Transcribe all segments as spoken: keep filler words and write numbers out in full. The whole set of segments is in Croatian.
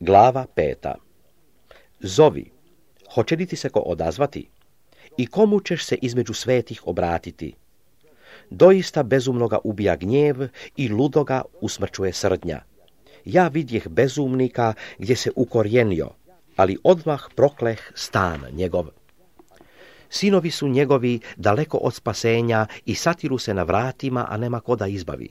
Glava peta. Zovi, hoće li ti se ko odazvati? I komu ćeš se između svetih obratiti? Doista bezumnoga ubija gnjev i ludoga usmrćuje srdnja. Ja vidjeh bezumnika gdje se ukorijenio, ali odmah prokleh stan njegov. Sinovi su njegovi daleko od spasenja i satiru se na vratima, a nema ko da izbavi.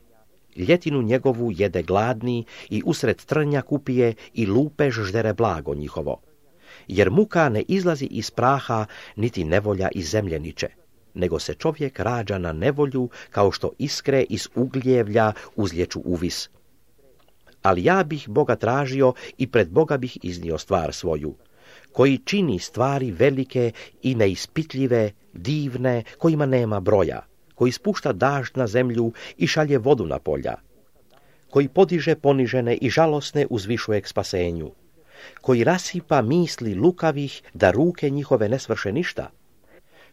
Ljetinu njegovu jede gladni i usred trnja kupije i lupež ždere blago njihovo. Jer muka ne izlazi iz praha, niti nevolja iz zemlje niče, nego se čovjek rađa na nevolju kao što iskre iz ugljevlja uzlječu uvis. Ali ja bih Boga tražio i pred Boga bih iznio stvar svoju, koji čini stvari velike i neispitljive, divne, kojima nema broja, koji spušta dažd na zemlju i šalje vodu na polja, koji podiže ponižene i žalosne uzvišuje k spasenju, koji rasipa misli lukavih da ruke njihove ne svrše ništa,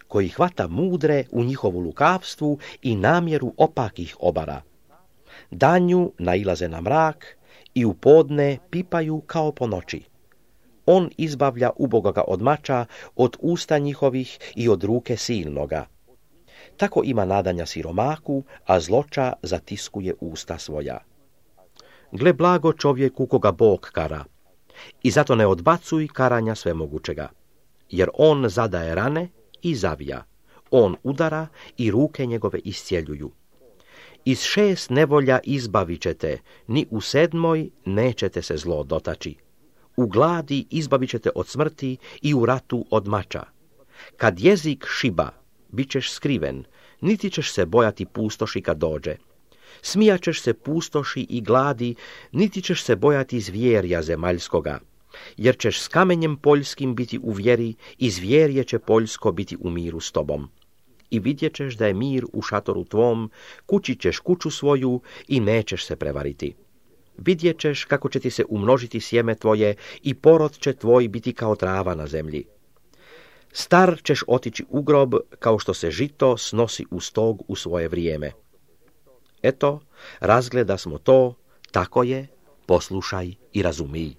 koji hvata mudre u njihovu lukavstvu i namjeru opakih obara. Danju nailaze na mrak i u podne pipaju kao po noći. On izbavlja ubogoga od mača, od usta njihovih i od ruke silnoga. Tako ima nadanja siromaku, a zloča zatiskuje usta svoja. Gle blago čovjeku koga Bog kara, i zato ne odbacuj karanja svemogućega, jer on zadaje rane i zavija, on udara i ruke njegove iscjeljuju. Iz šest nevolja izbavit ćete, ni u sedmoj nećete se zlo dotaći. U gladi izbavit ćete od smrti i u ratu od mača. Kad jezik šiba, bit ćeš skriven, niti ćeš se bojati pustoši kad dođe. Smijaćeš se pustoši i gladi, niti ćeš se bojati zvjerja zemaljskoga, jer ćeš s kamenjem poljskim biti u vjeri i zvjerje će poljsko biti u miru s tobom. I vidjet ćeš da je mir u šatoru tvom, kući ćeš kuću svoju i nećeš se prevariti. Vidjet ćeš kako će ti se umnožiti sjeme tvoje i porod će tvoj biti kao trava na zemlji. Star ćeš otići u grob kao što se žito snosi u stog u svoje vrijeme. Eto, razgleda smo to, tako je, poslušaj i razumij.